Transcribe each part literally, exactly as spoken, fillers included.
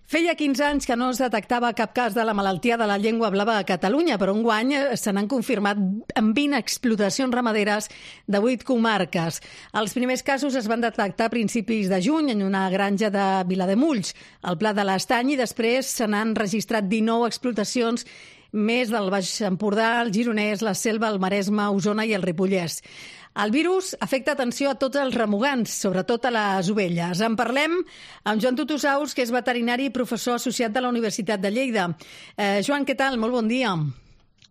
Feia quinze anys que no es detectava cap cas de la malaltia de la llengua blava a Catalunya, però enguany se n'han confirmat en vint explotacions ramaderes de vuit comarques. Els primers casos es van detectar a principis de juny en una granja de Vilademulls, al Pla de l'Estany, i després se n'han registrat dinou explotacions més del Baix Empordà, el Gironès, la Selva, el Maresme, Osona i el Ripollès. El virus afecta, atenció, a tots els remugants, sobretot a les ovelles. En parlem amb Joan Tutusaus, que és veterinari i professor associat de la Universitat de Lleida. Eh, Joan, què tal? Molt bon dia.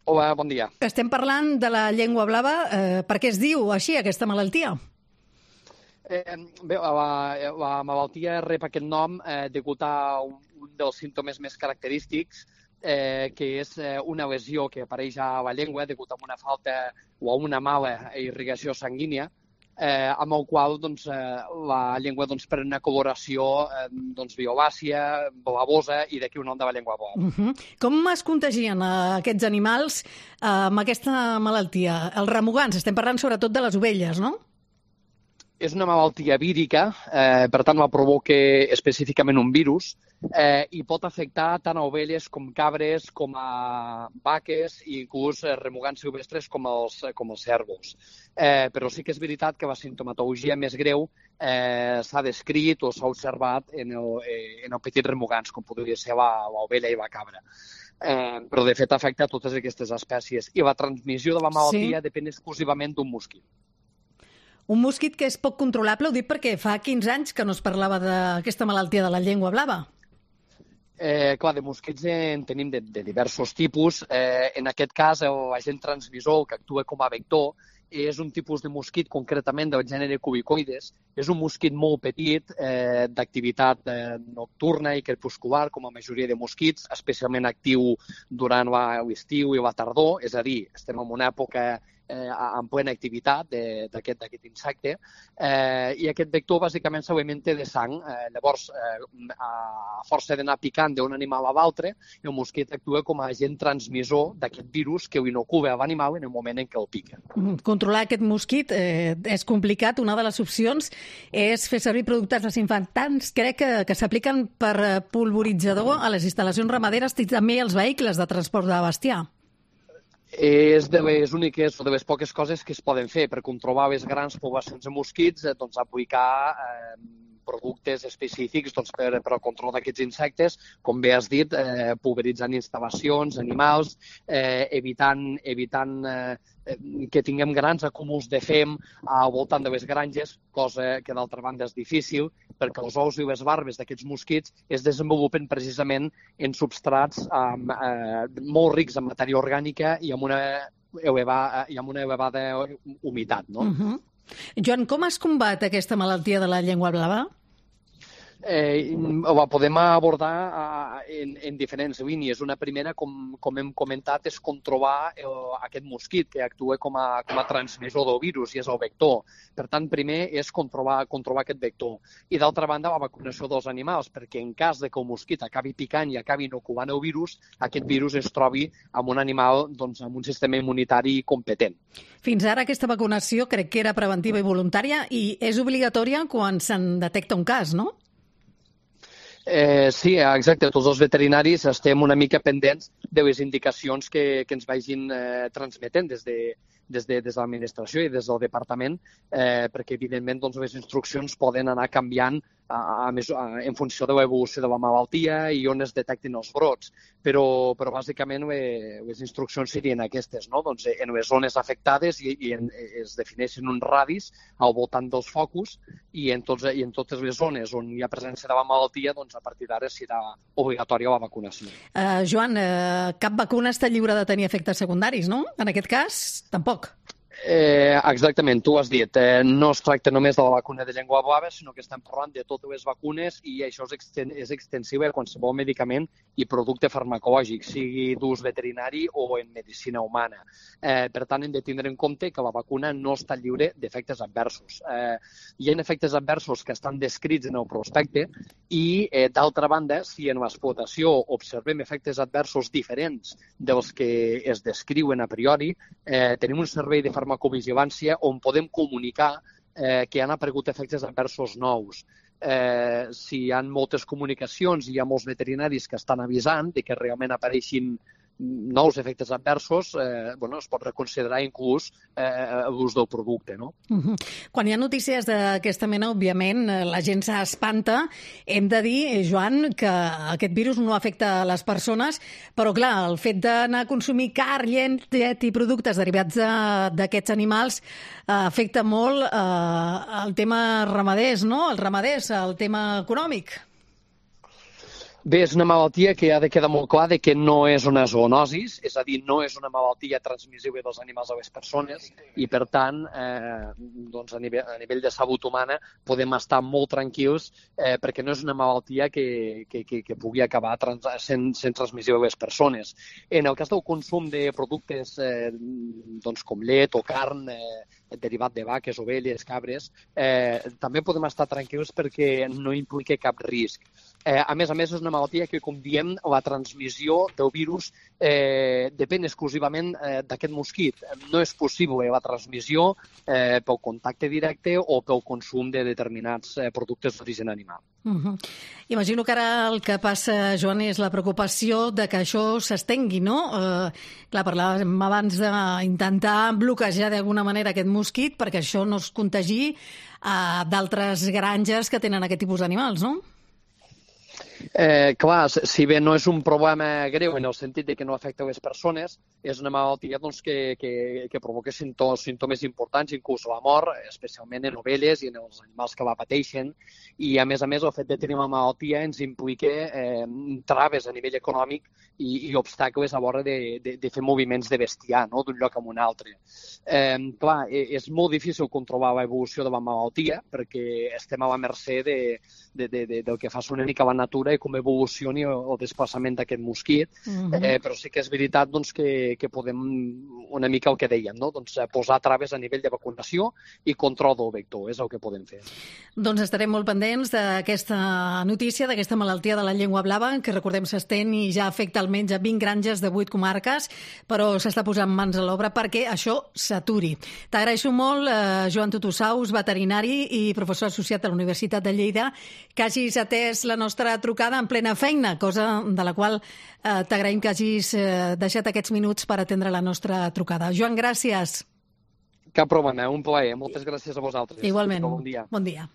Hola, bon dia. Estem parlant de la llengua blava. Eh, per què es diu així, aquesta malaltia? Eh, bé, la, la malaltia rep aquest nom eh, degut a un, un dels símptomes més característics, Eh, que és eh, una lesió que apareix a la llengua degut a una falta o a una mala irrigació sanguínia, eh, amb el qual doncs, eh, la llengua doncs, pren una coloració eh, doncs, violàcia, blavosa, i d'aquí un nom de la llengua blava. Uh -huh. Com es contagien eh, aquests animals eh, amb aquesta malaltia? Els remugants, estem parlant sobretot de les ovelles, no? És una malaltia vírica, eh, per tant la provoca específicament un virus, eh, i pot afectar tant a ovelles com cabres, com a vaques i inclús eh, remugants silvestres com els, com els cérvols. Eh, però sí que és veritat que la sintomatologia més greu eh, s'ha descrit o s'ha observat en el, eh, en el petits remugants, com podria ser l'ovella i la cabra. Eh, però de fet afecta totes aquestes espècies. I la transmissió de la malaltia sí. depèn exclusivament d'un mosquit. Un mosquit que és poc controlable, ho dic perquè fa quinze anys que no es parlava d'aquesta malaltia de la llengua blava. Eh, clar, de mosquits en tenim de, de diversos tipus. Eh, en aquest cas, l'agent transmissor, que actua com a vector, és un tipus de mosquit concretament del gènere Cubicoides. És un mosquit molt petit, eh, d'activitat eh, nocturna i crepuscular, com la majoria de mosquits, especialment actiu durant l'estiu i la tardor, és a dir, estem en una època eh, en plena activitat d'aquest insecte, eh, i aquest vector bàsicament s'alimenta de sang. Eh, llavors, eh, a força d'anar picant d'un animal a l'altre, el mosquit actua com a agent transmissor d'aquest virus que ho inocula a l'animal en el moment en què el pica. Controlar aquest mosquit eh, és complicat. Una de les opcions és fer servir productes desinfectants, crec que, que s'apliquen per pulveritzador a les instal·lacions ramaderes i també als vehicles de transport de bestiar. És de les úniques o de les poques coses que es poden fer per controlar les grans poblacions de mosquits, eh, doncs aplicar eh, productes específics doncs, per, per al control d'aquests insectes, com bé has dit, eh, pulveritzant instal·lacions, animals, eh, evitant, evitant eh, que tinguem grans acúmuls de fem al voltant de les granges, cosa que d'altra banda és difícil, perquè els ous i les barbes d'aquests mosquits es desenvolupen precisament en substrats eh, molt rics en matèria orgànica i amb una elevada, i amb una elevada humitat. No? Uh -huh. Joan, com es combat aquesta malaltia de la llengua blava? Eh, la podem abordar eh, en, en diferents línies. Una primera, com, com hem comentat, és controlar el, aquest mosquit que actua com a, com a transmissor del virus i és el vector. Per tant, primer és controlar, controlar aquest vector. I d'altra banda, la vacunació dels animals, perquè en cas de que el mosquit acabi picant i acabi inoculant el virus, aquest virus es trobi amb un animal doncs, amb un sistema immunitari competent. Fins ara aquesta vacunació crec que era preventiva i voluntària i és obligatòria quan se'n detecta un cas, no? Eh, sí, exacte. Tots els veterinaris estem una mica pendents de les indicacions que, que ens vagin eh, transmetent des de, des de, des de l'administració i des del departament, eh, perquè, evidentment, doncs, les instruccions poden anar canviant a, a, a, en funció de l'evolució de la malaltia i on es detectin els brots. Però, però bàsicament, les, les instruccions serien aquestes, no? Doncs, en les zones afectades i, i en, es defineixen uns radis al voltant dels focus i en, tots, i en totes les zones on hi ha presència de la malaltia, doncs, a partir d'ara serà obligatòria la vacunació. Uh, Joan, uh, cap vacuna està lliure de tenir efectes secundaris, no? En aquest cas, tampoc. Eh, exactament, tu has dit, eh, no es tracta només de la vacuna de llengua blava, sinó que estem parlant de totes les vacunes i això és, exten és extensiu a qualsevol medicament i producte farmacològic, sigui d'ús veterinari o en medicina humana. Eh, per tant, hem de tindre en compte que la vacuna no està lliure d'efectes adversos. Eh, hi ha efectes adversos que estan descrits en el prospecte i, eh, d'altra banda, si en l'explotació observem efectes adversos diferents dels que es descriuen a priori, eh, tenim un servei de farmacologia farmacovigilància on podem comunicar eh, que han aparegut efectes adversos nous. eh, si hi ha moltes comunicacions i hi ha molts veterinaris que estan avisant de que realment apareixin nous efectes adversos, eh, bueno, es pot reconsiderar inclús eh, l'ús del producte. No? Uh-huh. Quan hi ha notícies d'aquesta mena, òbviament, la gent s'espanta. Hem de dir, Joan, que aquest virus no afecta a les persones, però, clar, el fet d'anar a consumir carn, llet i productes derivats d'aquests animals eh, afecta molt eh, el tema ramaders, no? Els ramaders, el tema econòmic. Bé, és una malaltia que ha de quedar molt clar de que no és una zoonosi, és a dir, no és una malaltia transmissible dels animals a les persones i, per tant, eh, doncs a, nivell, a nivell de salut humana podem estar molt tranquils eh, perquè no és una malaltia que, que, que, que pugui acabar trans, sent, sent transmissible a les persones. En el cas del consum de productes eh, doncs com llet o carn, eh, derivat de vaques, ovelles, cabres, eh, també podem estar tranquils perquè no implica cap risc. Eh, a més a més, és una malaltia que, com diem, la transmissió del virus eh, depèn exclusivament eh, d'aquest mosquit. No és possible la transmissió eh, pel contacte directe o pel consum de determinats eh, productes d'origen animal. Uh-huh. Imagino que ara el que passa, Joan, és la preocupació de que això s'estengui, no? Eh, clar, parlàvem abans d'intentar bloquejar d'alguna manera aquest mosquit perquè això no es contagi a d'altres granges que tenen aquest tipus d'animals, no? Eh, clar, si bé no és un problema greu en el sentit de que no afecta les persones, és una malaltia doncs, que, que, que provoca símptomes, símptomes importants, inclús la mort, especialment en ovelles i en els animals que la pateixen. I, a més a més, el fet de tenir una malaltia ens implica eh, traves a nivell econòmic i, i obstacles a l'hora de, de, de fer moviments de bestiar, no?, d'un lloc a un altre. Eh, clar, és molt difícil controlar l'evolució de la malaltia perquè estem a la mercè de, de, de, de, del que fa una mica la natura i com evolucioni el desplaçament d'aquest mosquit, uh-huh. eh, però sí que és veritat doncs, que, que podem, una mica el que dèiem, no? doncs, posar traves a nivell de vacunació i control del vector, és el que podem fer. Doncs estarem molt pendents d'aquesta notícia, d'aquesta malaltia de la llengua blava, que recordem s'estén i ja afecta almenys a vint granges de vuit comarques, però s'està posant mans a l'obra perquè això s'aturi. T'agraeixo molt, eh, Joan Tutusaus, veterinari i professor associat a la Universitat de Lleida, que hagis atès la nostra trucada en plena feina, cosa de la qual eh, t'agraïm que hagis eh, deixat aquests minuts per atendre la nostra trucada. Joan, gràcies. Cap problema, un plaer. Moltes gràcies a vosaltres. Igualment. Bon dia. Bon dia.